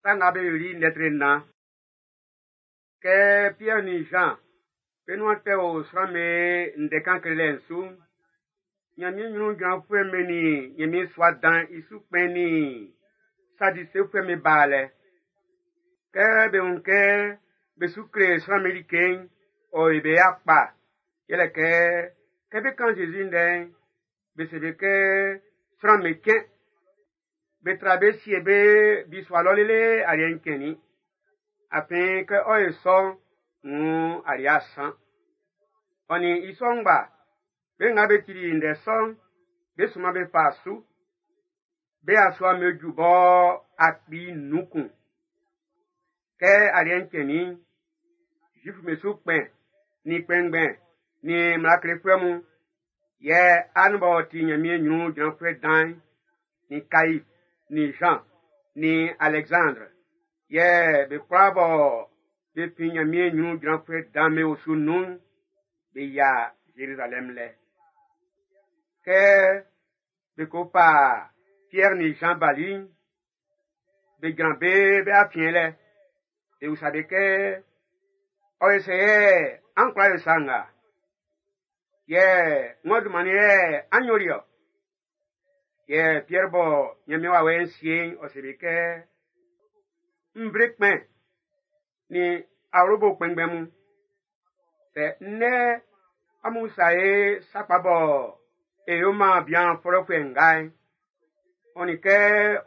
Sa nga be yoli lɛtri nnan. Kɛ Piɛr nin Jean be nuan tɛ o sran'm be ndɛ kan klelɛ'n su'n, Ɲanmiɛn ɲrun jranfuɛ'm be nin Ɲanmiɛn sua dan'n i su kpɛn nin Sadisefuɛ'm be baa lɛ. Kɛ be wun kɛ be su kle sran'm be like'n, ɔ yo be ya kpa. Yɛlɛ kɛ, kɛ be kan Zezi ndɛ'n, be se be kɛ sran'm be cɛn. Be tra be sie be bisua lɔ lele aliɛ'n cɛnnin. Afin kɛ ɔ ye sɔ'n, nn aliɛ asan. Ɔ nin i sɔ ngba, be nga be tili ndɛ sɔ'n, be suma be fa su. Be asua be ju bɔ 5,000. Kɛ aliɛ'n cɛnnin'n, Zuifu'm be su kpɛn, nin kpɛnngbɛn, nin mmla klefuɛ mun, yɛ An b'ɔ ti Ɲanmiɛn ɲrun jranfuɛ dan'n, nin Kaif, nin Jean, nin Alexandre, yɛ be kwlaa bɔ be fin Ɲanmiɛn ɲrun jranfuɛ dan'n be osu nun'n, be yia Zerizalɛm lɛ. Kɛ be ko fa Pierre nin Jean bali'n, be jran be be afiɛn lɛ. Be usa be kɛ, ɔ ye sɛ yɛ an kwla yo sa nga? Yɛ ng'ɔ dunman yɛ an yoli ɔ? Yɛ Pierre bɔ Ɲanmiɛn wawɛ'n sie'n, ɔ se be kɛ, nvle kpɛn nin awlobo kpɛnngbɛn mun. Sɛ nnɛ amun sa ye sakpa bɔ e yo man bian fɔlɔfuɛ nga'n, ɔ nin kɛ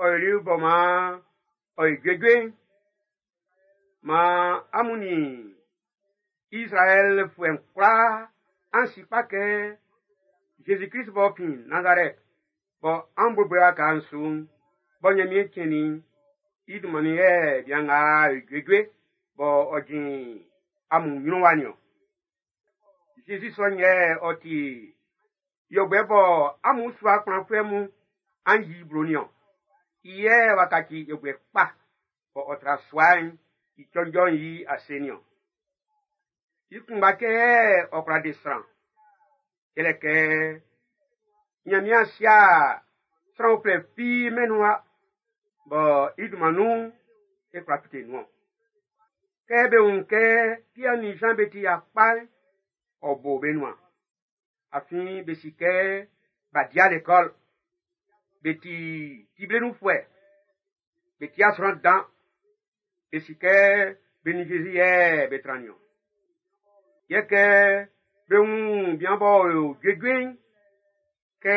ɔ yoli bɔ man ɔ yi juejue'n, man amun nin Izraɛlfuɛ'n kwlaa an si kpa kɛ Zezi Klist b'ɔ fin Nazarɛt bɔ an boboli waka'n su'n, bɔ Ɲanmiɛn cɛnnin i dunman nun yɛ bian nga yo juejue bɔ ɔ jin amun ɲrun wa nin-ɔn. Zezi sɔ'n yɛ ɔ ti yɔbuɛ bɔ amun sua kplanfuɛ mun an yi blo nin-ɔn. I yɛ w'a kaci yɔbuɛ kpa bɔ ɔ tra sua'n i cɔnjɔ'n i ase nin-ɔn. I kunngba cɛ yɛ ɔ kwla de sran. Yɛlɛ kɛ Ɲanmiɛn sia sran uflɛ fi mɛn'n nun wa bɔ i dunman nun'n e kwla fite nun-ɔn. Kɛ be wun kɛ Piɛr nin Jean be ti yakpa'n, ɔ bo be nuan. Afin be si kɛ b'a dia l'école. Be ti tiblenunfuɛ. Be ti asran dan. Be si kɛ be nin Zezi yɛ be tran nin-ɔn. Yɛ kɛ be wun bian b'ɔ yo juejue'n, kɛ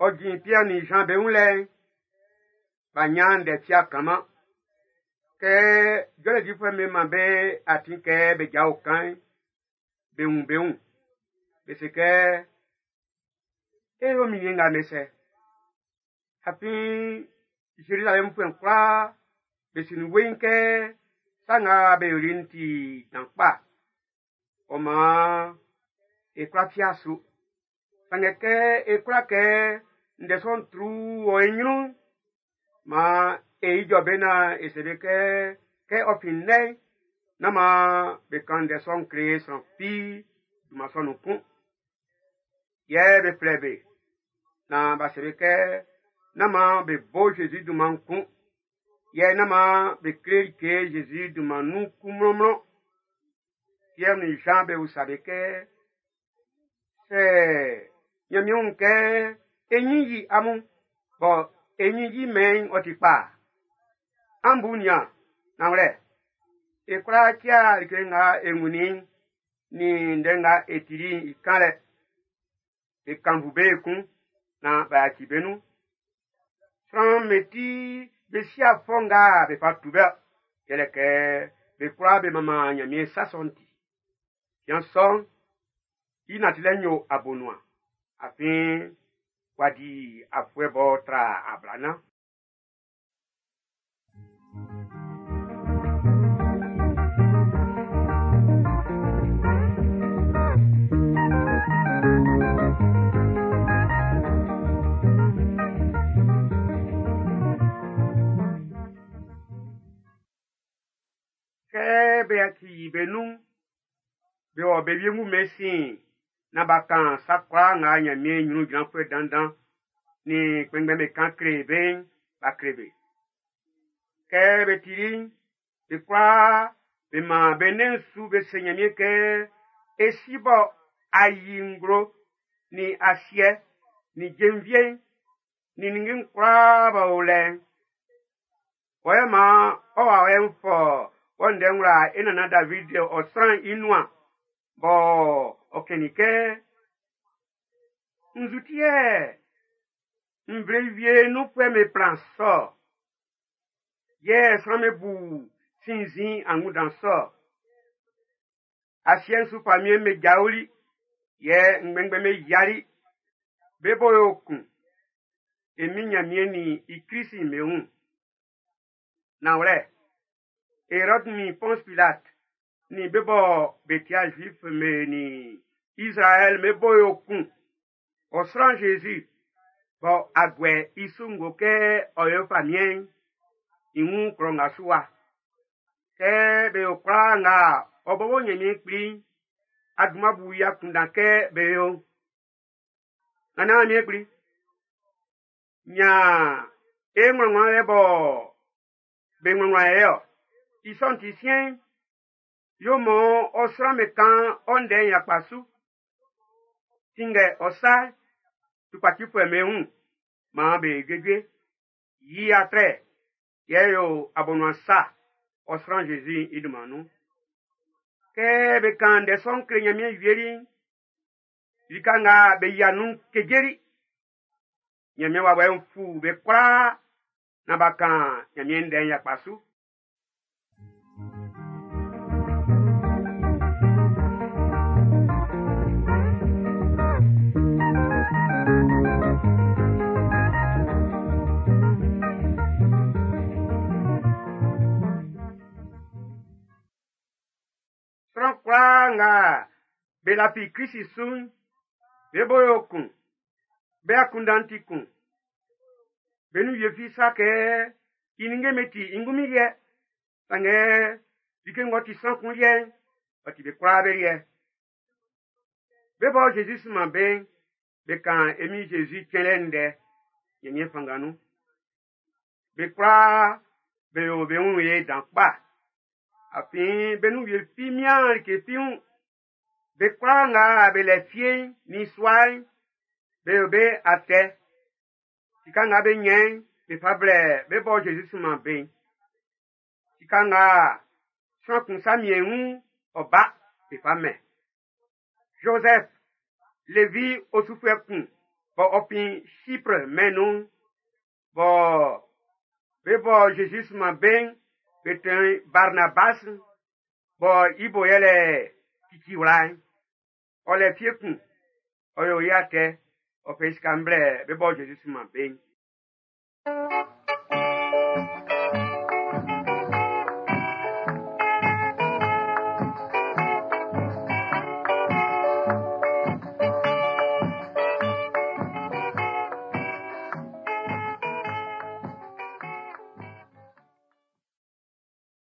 ɔ jin Piɛr nin Jean be wun lɛ'n, b'a nyan ndɛ fia kanman. Kɛ jɔlɛ difuɛ'm be man be atin kɛ be jao kan'n, be wun be wun. Be se kɛ, e yo min nga me sɛ. Afin Zerizalɛmfuɛ'n kwlaa be si nun weiin kɛ sa nga be yoli'n ti dan kpa. Ɔ maan e kwla fia su. Sanngɛ kɛ e kwla kɛ ndɛ sɔ'n tru wɔ e ɲrun'n, maan e ijɔ be naan e se be kɛ, kɛ ɔ fin nnɛ'n, nán maan be kan ndɛ sɔ'n kle sran fi dunman sɔ'n nun kun. Yɛ be flɛ be naan b'a se be kɛ, nán maan be bo Zezi dunman kun. Yɛ nán maan be kle like Zezi dunman nun kun mlɔnmlɔn. Pierre nin Jean be usa be kɛ, sɛ Ɲanmiɛn wun kɛ e ɲin yi amun, bɔ e ɲin yi mɛn'n ɔ ti kpa. An bu nian, nanwlɛ, e kwla tia like nga e wunnin nin ndɛ nga e tili'n i kanlɛ. Be kannvu be ekun naan b'a yaci be nun. Sran'm be ti be si afɔ nga be fa tu be yɛlɛ kɛ be kwlaa be manman Ɲanmiɛn sa sɔ'n ti. Bian sɔ'n, i nantilɛ'n yo abonuan, afin w'a di afuɛ b'ɔ tra 40. Kɛ be yaci be nun'n, be wɔ be wiengu be sin naan b'a kan sa kwlaa nga Ɲanmiɛn ɲrun jranfuɛ dandan nin kpɛnngbɛn'm be kan kle be'n, b'a kle be. Kɛ be tili'n, be kwlaa be man be nɛn'n su be se Ɲanmiɛn kɛ, e si bɔ a yi nglo nin asiɛ nin jenvie'n nin ninnge'n kwlaa b'ɔ o lɛ'n. Wɔ yɛ maan ɔ wawɛ'n fɔ wɔ ndɛ wla e nannan David ɔ sran'n i nuan bɔ ɔ kɛnnin kɛ, nzu ti yɛ nvle wie nunfuɛ'm be plan sɔ yɛ sran'm be bu sinnzin angunndan sɔ. Asiɛ'n su famiɛn'm be jaoli, yɛ ngbɛnngbɛn'm be yiali, be bo yo kun. E min Ɲanmiɛn nin i Klisi'n be wun. Nanwlɛ, Erɔd nin Pɔns Pilat nin be bɔ be tia Zuif be nin Izraɛl be bo yo kun. Ɔ sran Zezi bɔ a guɛ i su ngo kɛ ɔ yo famiɛn'n, i wun klɔ nga su wa. Kɛ be yo kwlaa nga ɔ bɔbɔ Ɲanmiɛn kpli'n, a dunman bu i akunndan kɛ be yo. Nannan Ɲanmiɛn kpli, ɲan e ŋmlɔŋmlɔ lɛ bɔ be ŋmlɔŋmlɔ yɛ ɔ. I sɔ'n ti siɛn'n, yo mɔ ɔ sran be kan ɔ ndɛ'n yakpa su. Tinngɛ ɔ sa tukpacifuɛ'm be wun, maan be juejue. Yi atrɛ, yɛ yo abonuan sa ɔ sran Zezi i dunman nun. Kɛ be kan ndɛ sɔ'n kle Ɲanmiɛn wieli'n, lika nga be yia nun'n kejeli. Ɲanmiɛn wawɛ'n fu be kwlaa naan b'a kan Ɲanmiɛn ndɛ'n yakpa su. Sran kwlaa nga be lafi Klisi su'n, be bo yo kun, be akunndan'n ti kun. Be nun wie fi sa kɛ i ninnge'm be ti i ngunmin liɛ. Sanngɛ like ng'ɔ ti sran kun liɛ'n, ɔ ti be kwlaa be liɛ. Be bɔ Zezi sunman be'n, be kan e Min Zezi cɛnlɛ ndɛ Ɲanmiɛn fanngan nun. Be kwlaa be yo be wun ye dan kpa. Afin be nun wie fi mian like fi wun. Be kwlaa nga be lɛ fie'n nin sua'n, be yo be atɛ. Sika nga be ɲɛn'n, be fa blɛ be bɔ Zezi sunman be'n. Sika nga sran kun sa miɛn wun, ɔ ba, be fa mɛn. Joseph, Levi osufuɛ kun, bɔ ɔ fin Chypre mɛn'n nun, bɔ be bɔ Zezi sunman be'n, be tɛn Barnabas, bɔ i bo yɛlɛ Ciciwla'n. Ɔ lɛ fie kun, ɔ yo i atɛ, ɔ fɛ i sika'n blɛ be bɔ Zezi sunman be'n.